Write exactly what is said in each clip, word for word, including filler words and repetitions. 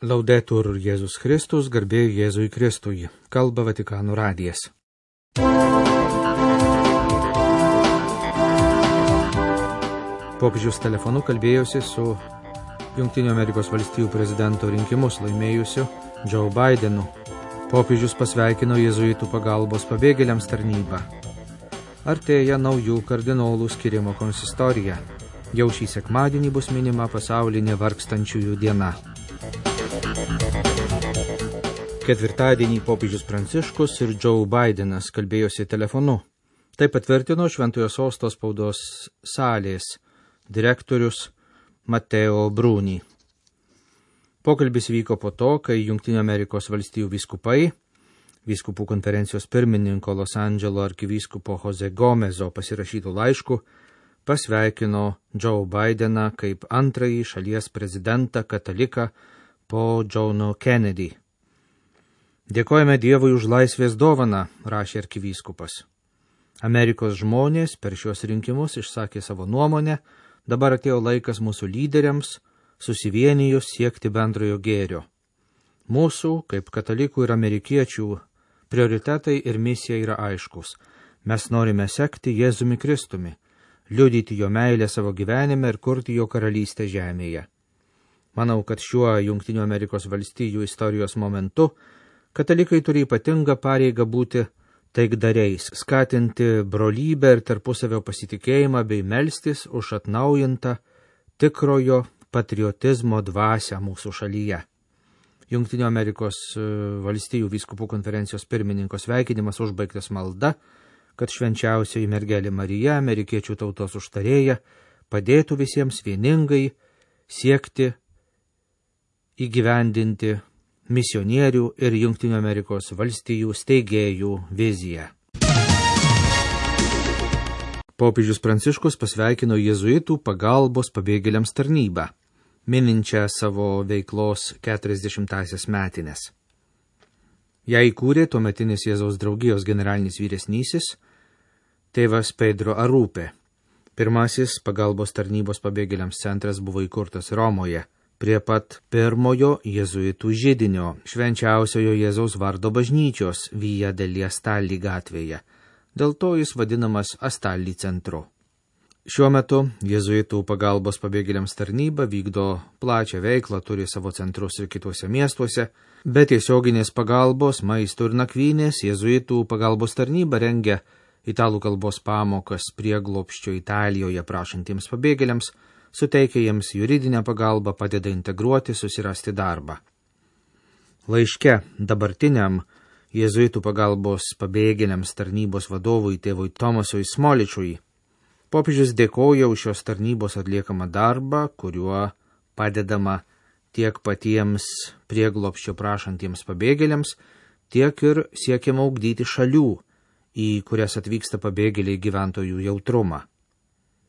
Laudetur Jėzus Kristus, garbė Jėzui Kristui, kalba Vatikano radijas. Popiežius telefonu kalbėjosi su Jungtinių Amerikos valstijų prezidento rinkimus laimėjusiu Joe Bidenu. Popiežius pasveikino jėzuitų pagalbos pabėgėliams tarnybą. Artėja naujų kardinolų skirimo konsistorija. Jau šį sekmadienį bus minima pasaulinė vargstančiųjų diena. Ketvirtadienį popiežius Pranciškus ir Joe Bidenas kalbėjosi telefonu. Tai patvirtino Šventojo Sosto spaudos salės direktorius Matteo Bruni. Pokalbis vyko po to, kai Jungtinių Amerikos valstijų vyskupai, vyskupų konferencijos pirmininko Los Andželo arkivyskupo Jose Gomezo pasirašytų laiškų, pasveikino Joe Bideną kaip antrąjį šalies prezidentą kataliką po Johno Kennedy. Dėkojame Dievui už laisvės dovaną, rašė arkivyskupas. Amerikos žmonės per šios rinkimus išsakė savo nuomonę, dabar atėjo laikas mūsų lyderiams susivienijus siekti bendrojo gėrio. Mūsų, kaip katalikų ir amerikiečių, prioritetai ir misija yra aiškus. Mes norime sekti Jėzumi Kristumi, liudyti jo meilę savo gyvenime ir kurti jo karalystę žemėje. Manau, kad šiuo Jungtinių Amerikos valstijų istorijos momentu katalikai turi ypatingą pareigą būti taikdariais, skatinti brolybę ir tarpusavio pasitikėjimą bei melstis už atnaujintą tikrojo patriotizmo dvasią mūsų šalyje. Jungtinių Amerikos valstijų vyskupų konferencijos pirmininko sveikinimas užbaigtas malda, kad švenčiausioji mergelė Marija, amerikiečių tautos užtarėja, padėtų visiems vieningai siekti įgyvendinti misionierių ir Jungtinių Amerikos valstijų steigėjų viziją. Popiežius Pranciškus pasveikino jėzuitų pagalbos pabėgėliams tarnybą, mininčią savo veiklos keturiasdešimtąsias metines. Ją įkūrė tuometinis Jėzaus draugijos generalinis vyresnysis, tėvas Pedro Arupė. Pirmasis pagalbos tarnybos pabėgėliams centras buvo įkurtas Romoje, prie pat pirmojo jėzuitų židinio, švenčiausiojo Jėzaus vardo bažnyčios Via degli Astalli gatvėje. Dėl to jis vadinamas Astalli centru. Šiuo metu jėzuitų pagalbos pabėgėliams tarnyba vykdo plačią veiklą, turi savo centrus ir kituose miestuose, bet tiesioginės pagalbos, maisto ir nakvynės jėzuitų pagalbos tarnyba rengia italų kalbos pamokas prieglobsčio Italijoje prašantiems pabėgėliams, suteikia jiems juridinę pagalbą, padeda integruoti, susirasti darbą. Laiške dabartiniam jėzuitų pagalbos pabėgėliams tarnybos vadovui tėvui Tomasui Smoličiui popiežius dėkoja už šios tarnybos atliekamą darbą, kuriuo padedama tiek patiems prieglobsčio prašantiems pabėgėliams, tiek ir siekiama ugdyti šalių, į kurias atvyksta pabėgėliai gyventojų jautrumą.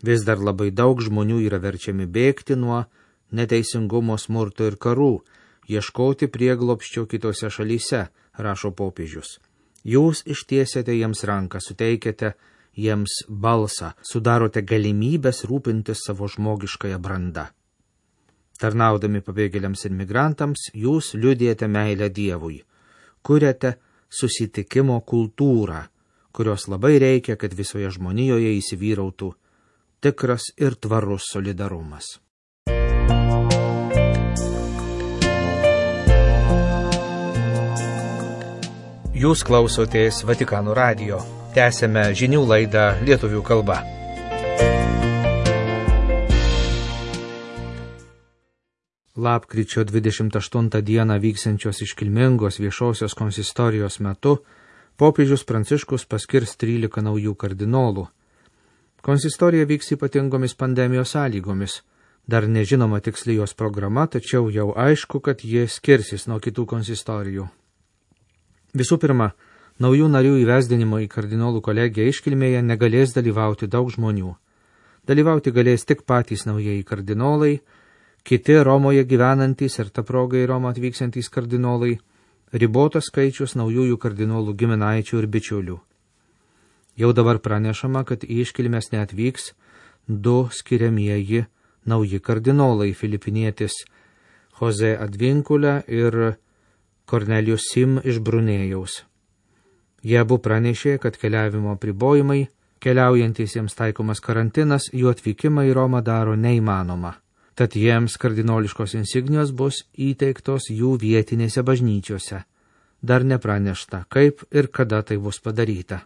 Vis dar labai daug žmonių yra verčiami bėgti nuo neteisingumo, smurto ir karų, ieškoti prieglobsčio kitose šalyse, rašo popiežius. Jūs ištiesiate jiems ranką, suteikiate jiems balsą, sudarote galimybės rūpintis savo žmogiškąją brandą. Tarnaudami pabėgėliams ir migrantams, jūs liudijate meilę Dievui, kuriate susitikimo kultūrą, kurios labai reikia, kad visoje žmonijoje įsivyrautų tikras ir tvarus solidarumas. Jūs klausotės Vatikano radijo. Tęsėme žinių laidą lietuvių kalba. Lapkričio dvidešimt aštuntą dieną vyksiančios iškilmingos viešosios konsistorijos metu popiežius Pranciškus paskirs trylika naujų kardinolų. Konsistorija vyks ypatingomis pandemijos sąlygomis. Dar nežinoma tiksli jos programa, tačiau jau aišku, kad jie skirsis nuo kitų konsistorijų. Visų pirma, naujų narių įvesdinimo į kardinolų kolegiją iškilmėje negalės dalyvauti daug žmonių. Dalyvauti galės tik patys naujieji kardinolai, kiti Romoje gyvenantys ir ta proga į Romą atvyksiantys kardinolai, ribotas skaičius naujųjų kardinolų giminaičių ir bičiulių. Jau dabar pranešama, kad į iškilmes neatvyks du skiriamieji nauji kardinolai, filipinietis Jose Advinkulė ir Kornelijus Sim iš Brunėjaus. Jie abu pranešė, kad keliavimo apribojimai, keliaujantiesiems taikomas karantinas, jų atvykimą į Romą daro neįmanoma. Tad jiems kardinoliškos insignijos bus įteiktos jų vietinėse bažnyčiose. Dar nepranešta, kaip ir kada tai bus padaryta.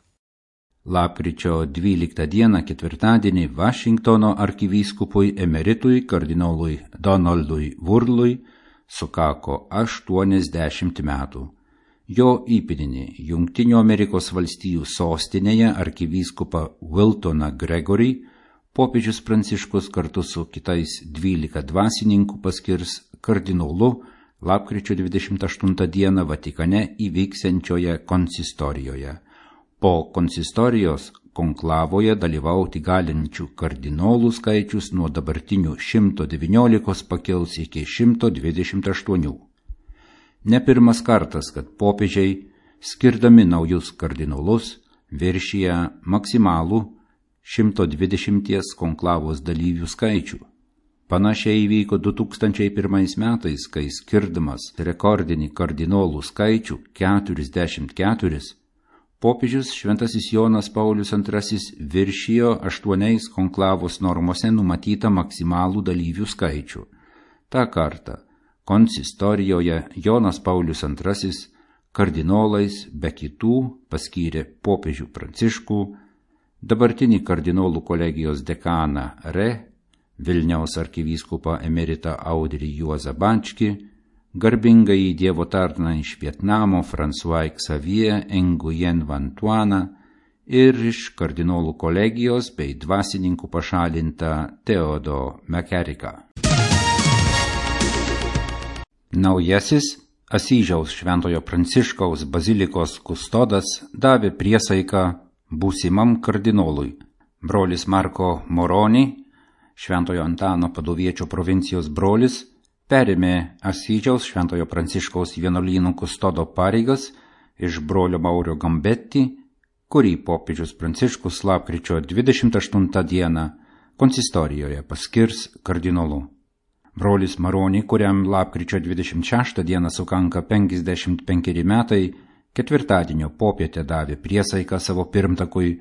Lapkričio dvyliktą dieną ketvirtadienį Vašingtono arkivyskupui emeritui kardinolui Donaldui Wurlui sukako aštuoniasdešimt metų. Jo įpėdinį Jungtinių Amerikos valstijų sostinėje arkivyskupą Wiltoną Gregorį popiežius Pranciškus kartu su kitais dvylika dvasininkų paskirs kardinolu lapkričio dvidešimt aštuntą dieną Vatikane įvyksiančioje konsistorijoje. Po konsistorijos konklavoje dalyvauti galinčių kardinolų skaičius nuo dabartinių šimto devyniolikos pakils iki šimto dvidešimt aštuonių. Ne pirmas kartas, kad popiežiai, skirdami naujus kardinolus, viršija maksimalų šimto dvidešimties konklavos dalyvių skaičių. Panašiai įvyko du tūkstančiai pirmais metais, kai skirdamas rekordinį kardinolų skaičių keturiasdešimt keturis, popiežius Šventasis Jonas Paulius antrasis viršijo aštuoniais konklavos normose numatytą maksimalų dalyvių skaičių. Ta kartą konsistorijoje Jonas Paulius antrasis kardinolais be kitų paskyrė popiežių Pranciškų, dabartinį kardinolų kolegijos dekaną Re, Vilniaus arkivyskupą emeritą Audrį Juozą Bačkį, garbingąjį Dievo tarną iš Vietnamo François Xavier Nguyen Van Tuaną ir iš kardinolų kolegijos bei dvasininkų pašalintą Teodo McCarriką. Naujasis Asyžiaus Šventojo Pranciškaus bazilikos kustodas davė priesaiką būsimam kardinolui. Brolis Marko Moroni, Šventojo Antano Paduviečio provincijos brolis, perėmė Asyžiaus Šventojo Pranciškaus vienuolynų kustodo pareigas iš brolio Maurio Gambetti, kurį popiežius Pranciškus lapkričio dvidešimt aštuntą dieną konsistorijoje paskirs kardinolu. Brolis Maroni, kuriam lapkričio dvidešimt šeštą dieną sukanka penkiasdešimt penkeri metai, ketvirtadienio popietę davė priesaiką savo pirmtakui,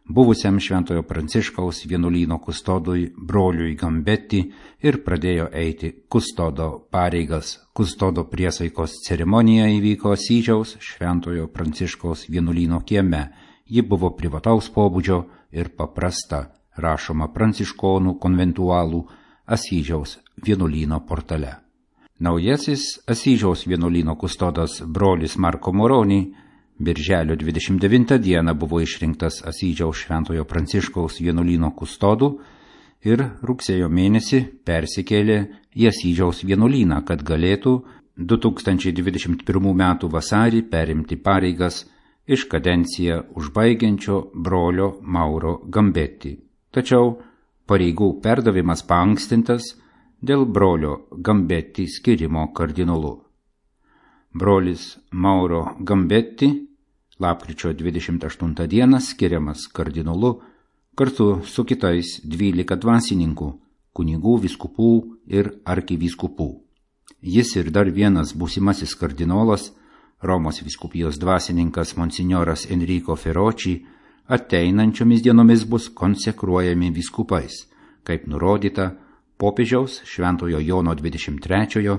buvusiam Šventojo Pranciškaus vienuolyno kustodui broliui Gambetti ir pradėjo eiti kustodo pareigas. Kustodo priesaikos ceremonija įvyko Asyžiaus Šventojo Pranciškaus vienuolyno kieme. Ji buvo privataus pobūdžio ir paprasta, rašoma pranciškonų konventualų Asyžiaus vienuolyno portale. Naujasis Asyžiaus vienuolyno kustodas brolis Marko Moroni birželio dvidešimt devintą dieną buvo išrinktas Asyžiaus Šventojo Pranciškaus vienuolyno kustodu ir rugsėjo mėnesį persikėlė į Asyžiaus vienuolyną, kad galėtų du tūkstančiai dvidešimt pirmų metų vasarį perimti pareigas iš kadenciją užbaigiančio brolio Mauro Gambetti. Tačiau pareigų perdavimas paankstintas dėl brolio Gambetti skirimo kardinolu. Brolis Mauro Gambetti lapkričio dvidešimt aštuntą dieną skiriamas kardinolu kartu su kitais dvylika dvasininkų, kunigų, vyskupų ir arkivyskupų. Jis ir dar vienas būsimasis kardinolas, Romos vyskupijos dvasininkas monsinjoras Enrico Feroči, ateinančiomis dienomis bus konsekruojami vyskupais, kaip nurodyta popiežiaus Šventojo Jono dvidešimt trečiojo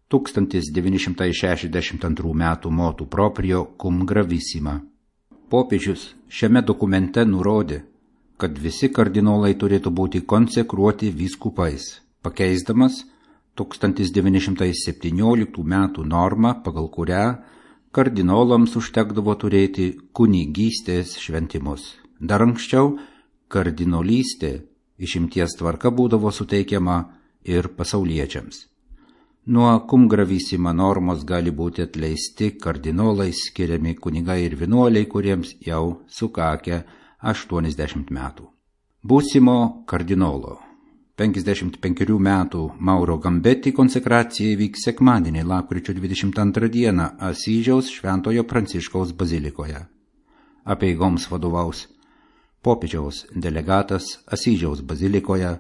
tūkstantis devyni šimtai šešiasdešimt antrų metų motu proprio cum gravissima. Popiežius šiame dokumente nurodė, kad visi kardinolai turėtų būti konsekruoti vyskupais, pakeisdamas tūkstantis devyni šimtai septynioliktų metų normą, pagal kurią kardinolams užtekdavo turėti kunigystės šventimus. Dar anksčiau kardinolystė išimties tvarka būdavo suteikiama ir pasauliečiams. Nuo cum gravissima normos gali būti atleisti kardinolai skiriami kunigai ir vienuoliai, kuriems jau sukakę aštuoniasdešimt metų. Būsimo kardinolo penkiasdešimt penkerių metų Mauro Gambetti konsekracija įvyks sekmadienį lapkričio dvidešimt antrą dieną Asyžiaus Šventojo Pranciškaus bazilikoje. Apeigoms vadovaus popiežiaus delegatas Asyžiaus bazilikoje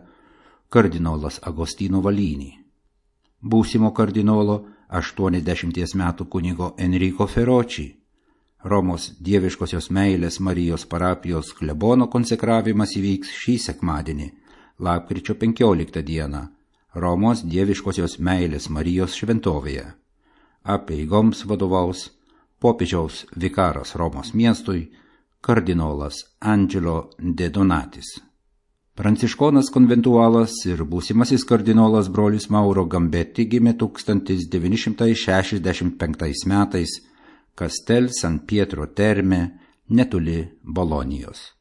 kardinolas Agostino Valini. būsimo kardinolo aštuoniasdešimties metų kunigo Enrico Feroči. Romos dieviškosios meilės Marijos parapijos klebono konsekravimas įvyks šį sekmadienį, lapkričio penkioliktą dieną, Romos dieviškosios meilės Marijos šventovėje. Apeigoms vadovaus popiežiaus vikaras Romos miestui, kardinolas Angelo de Donatis. Pranciškonas konventualas ir būsimasis kardinolas brolis Mauro Gambetti gimė tūkstantis devyni šimtai šešiasdešimt penktais metais Castel San Pietro Terme netoli Bolonijos.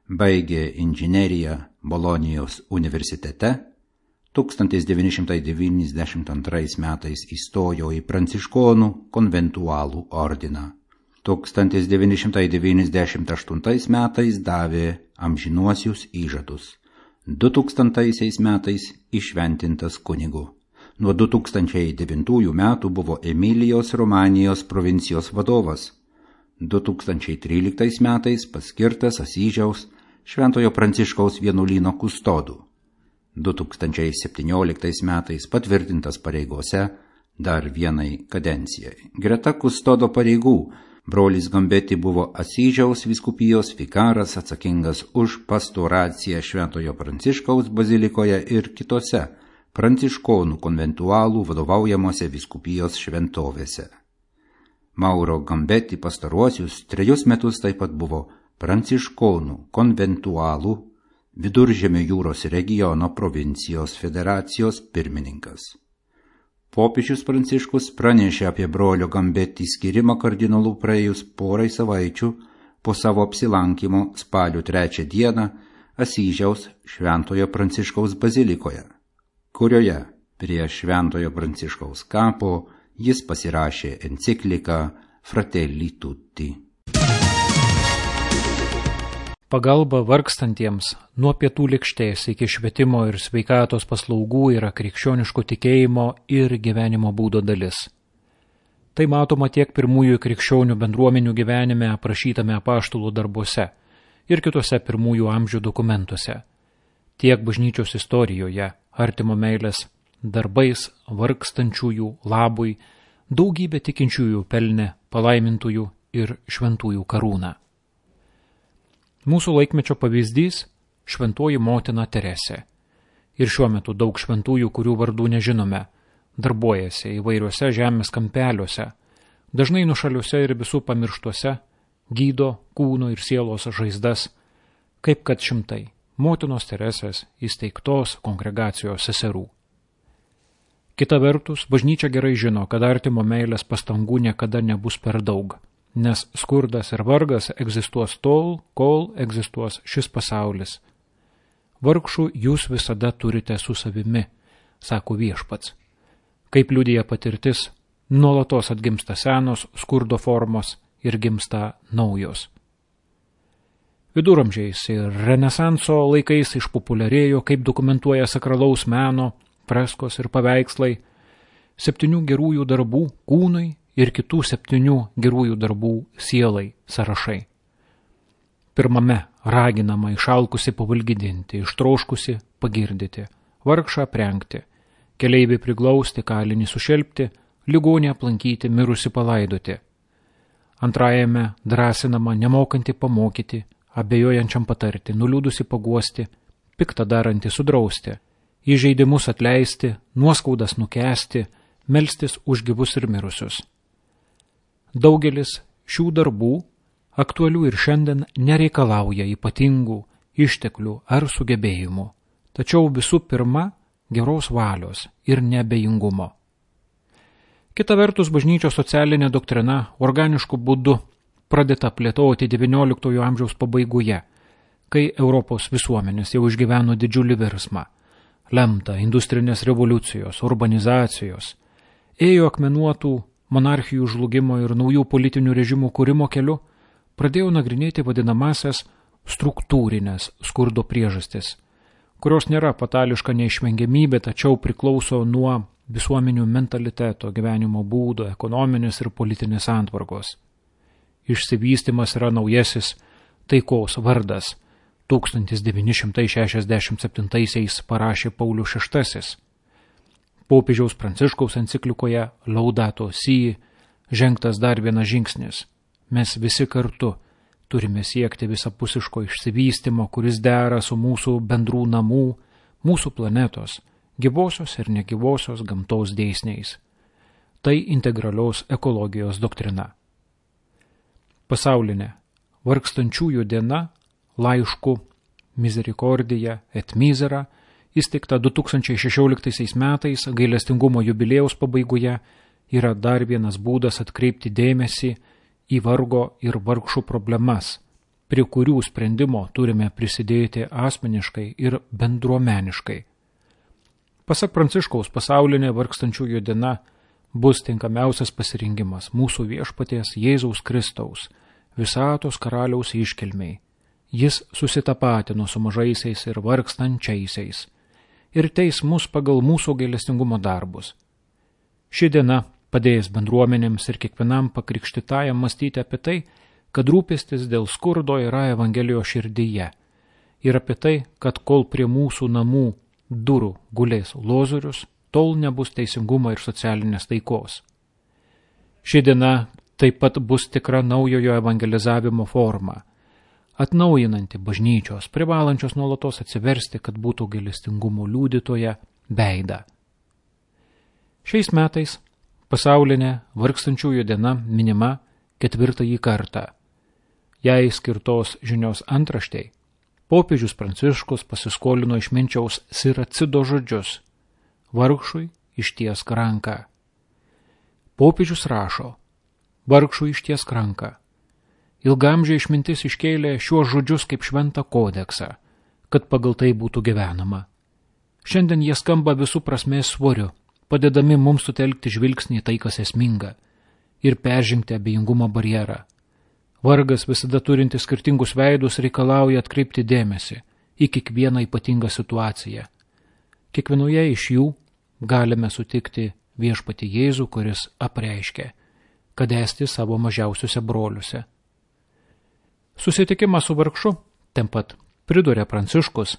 Baigė inžineriją Bolonijos universitete, tūkstantis devyni šimtai devyniasdešimt antrais metais įstojo į pranciškonų konventualų ordiną. tūkstantis devyni šimtai devyniasdešimt aštuntais metais davė amžinuosius įžadus. du tūkstantaisiais metais įšventintas kunigu. Nuo du tūkstančiai devintųjų metų buvo Emilijos Romanijos provincijos vadovas. du tūkstančiai tryliktais metais paskirtas Asyžiaus Šventojo Pranciškaus vienuolyno kustodu. du tūkstančiai septynioliktais metais patvirtintas pareigose dar vienai kadencijai. Greta kustodo pareigų brolis Gambetti buvo Asyžiaus vyskupijos vikaras atsakingas už pastoraciją Šventojo Pranciškaus bazilikoje ir kitose pranciškonų konventualų vadovaujamose vyskupijos šventovėse. Mauro Gambetti pastaruosius trejus metus taip pat buvo pranciškonų konventualų Viduržemio jūros regiono provincijos federacijos pirmininkas. Popiežius Pranciškus pranešė apie brolio Gambetti skyrimą kardinolų praėjus porai savaičių po savo apsilankimo spalio trečią dieną Asyžiaus Šventojo Pranciškaus bazilikoje, kurioje prie Šventojo Pranciškaus kapo jis pasirašė encikliką Fratelli Tutti. Pagalba vargstantiems nuo pietų lėkštės iki švietimo ir sveikatos paslaugų yra krikščioniško tikėjimo ir gyvenimo būdo dalis. Tai matoma tiek pirmųjų krikščionių bendruomenių gyvenime aprašytame apaštalų darbuose ir kitose pirmųjų amžių dokumentuose, tiek bažnyčios istorijoje, artimo meilės darbais vargstančiųjų labui daugybė tikinčiųjų pelnė palaimintųjų ir šventųjų karūną. Mūsų laikmečio pavyzdys – šventoji motina Teresė. Ir šiuo metu daug šventųjų, kurių vardų nežinome, darbuojasi įvairiuose žemės kampeliuose, dažnai nušaliuose ir visų pamirštuose, gydo kūno ir sielos žaizdas, kaip kad šimtai motinos Teresės įsteigtos kongregacijos seserų. Kita vertus, bažnyčia gerai žino, kad artimo meilės pastangų niekada nebus per daug, nes skurdas ir vargas egzistuos tol, kol egzistuos šis pasaulis. Vargšų jūs visada turite su savimi, sako Viešpats. Kaip liudija patirtis, nuolatos atgimsta senos skurdo formos ir gimsta naujos. Viduramžiais ir Renesanso laikais išpopuliarėjo, kaip dokumentuoja sakralaus meno, freskos ir paveikslai, septynių gerųjų darbų kūnui ir kitų septynių gerųjų darbų sielai sąrašai. Pirmame raginama išalkusi pavalgydinti, ištroškusi pagirdyti, vargšą aprengti, keleivį priglausti, kalinį sušelpti, ligonį aplankyti, mirusi palaidoti. Antrajame drąsinama nemokanti pamokyti, abejojančiam patarti, nuliūdusi paguosti, piktą darantį sudrausti, įžeidimus atleisti, nuoskaudas nukęsti, melstis už gyvus ir mirusius. Daugelis šių darbų, aktualių ir šiandien, nereikalauja ypatingų išteklių ar sugebėjimų, tačiau visų pirma geros valios ir neabejingumo. Kita vertus, bažnyčios socialinė doktrina organišku būdu pradėta plėtoti devynioliktojo amžiaus pabaigoje, kai Europos visuomenės jau išgyveno didžiulį virsmą, lemtą industrinės revoliucijos, urbanizacijos, ėjo akmenuotų monarchijų žlugimo ir naujų politinių režimų kūrimo keliu, pradėjo nagrinėti vadinamasias struktūrinės skurdo priežastis, kurios nėra fatališka neišvengiamybė, tačiau priklauso nuo visuomenių mentaliteto, gyvenimo būdo, ekonominės ir politinės santvarkos. Išsivystymas yra naujasis taikos vardas. tūkstantis devyni šimtai šešiasdešimt septintaisiais parašė Paulius šeštasis. Popiežiaus Pranciškaus enciklikoje Laudato Si žengtas dar vienas žingsnis. Mes visi kartu turime siekti visapusiško išsivystymo, kuris dera su mūsų bendrų namų, mūsų planetos, gyvosios ir negyvosios gamtos dėsniais. Tai integralios ekologijos doktrina. Pasaulinė vargstančiųjų diena laišku Misericordija et Misera, įsteigta du tūkstančiai šešioliktaisiais metais gailestingumo jubiliejaus pabaigoje, yra dar vienas būdas atkreipti dėmesį į vargo ir vargšų problemas, prie kurių sprendimo turime prisidėti asmeniškai ir bendruomeniškai. Pasak Pranciškaus, pasaulinė vargstančiųjų diena bus tinkamiausias pasirinkimas mūsų viešpaties Jėzaus Kristaus, visatos karaliaus iškilmiai. Jis susitapatino su mažaisiais ir vargstančiaisiais ir teis mus pagal mūsų gailestingumo darbus. Ši diena padės bendruomenėms ir kiekvienam pakrikštytajam mąstyti apie tai, kad rūpestis dėl skurdo yra Evangelijos širdyje ir apie tai, kad kol prie mūsų namų durų gulės lozorius, tol nebus teisingumo ir socialinės taikos. Ši diena taip pat bus tikra naujojo evangelizavimo forma, atnaujinanti bažnyčios, privalančios nuolatos atsiversti, kad būtų gailestingumo liudytoja veidą. Šiais metais pasaulinė vargstančiųjų diena minima ketvirtąjį kartą. Jai skirtos žinios antraštei popiežius Pranciškus pasiskolino iš minčiaus Siracido žodžius: vargšui ištiesk ranką. Popiežius rašo: vargšui ištiesk ranką. Ilgamžiai išmintis iškėlė šiuos žodžius kaip šventą kodeksą, kad pagal tai būtų gyvenama. Šiandien jie skamba visų prasmės svoriu, padedami mums sutelkti žvilgsnį tai, kas esminga, ir peržengti abejingumo barjerą. Vargas, visada turintis skirtingus veidus, reikalauja atkreipti dėmesį į kiekvieną ypatingą situaciją. Kiekvienoje iš jų galime sutikti viešpatį Jėzų, kuris apreiškė, kad esti savo mažiausiuose broliuose. Susitikimas su vargšu, ten pat priduria Pranciškus,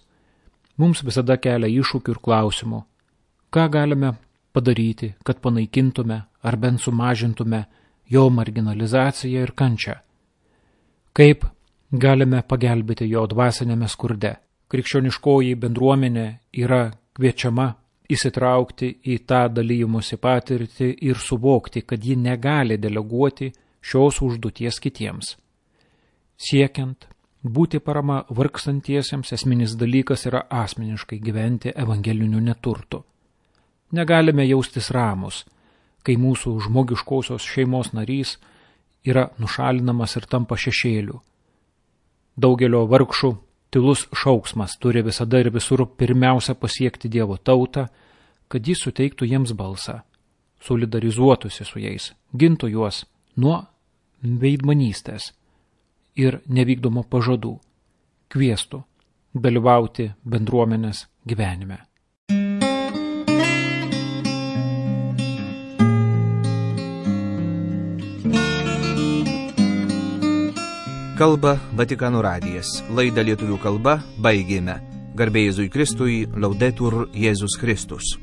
mums visada kelia iššūkių ir klausimų. Ką galime padaryti, kad panaikintume ar bent sumažintume jo marginalizaciją ir kančią? Kaip galime pagelbėti jo dvasinėme skurde? Krikščioniškoji bendruomenė yra kviečiama įsitraukti į tą dalymosi patirtį ir suvokti, kad ji negali deleguoti šios užduoties kitiems. Siekiant būti parama vargstantiesiems, esminis dalykas yra asmeniškai gyventi evangeliniu neturtu. Negalime jaustis ramus, kai mūsų žmogiškosios šeimos narys yra nušalinamas ir tampa šešėliu. Daugelio vargšų tylus šauksmas turi visada ir visur pirmiausia pasiekti Dievo tautą, kad jis suteiktų jiems balsą, solidarizuotųsi su jais, gintų juos nuo veidmanystės ir nevykdomo pažadų, kviestų dalyvauti bendruomenės gyvenime. Kalba Vatikano radijas. Laidą lietuvių kalba baigėme. Garbė Jėzui Kristui, Laudetur Jėzus Kristus.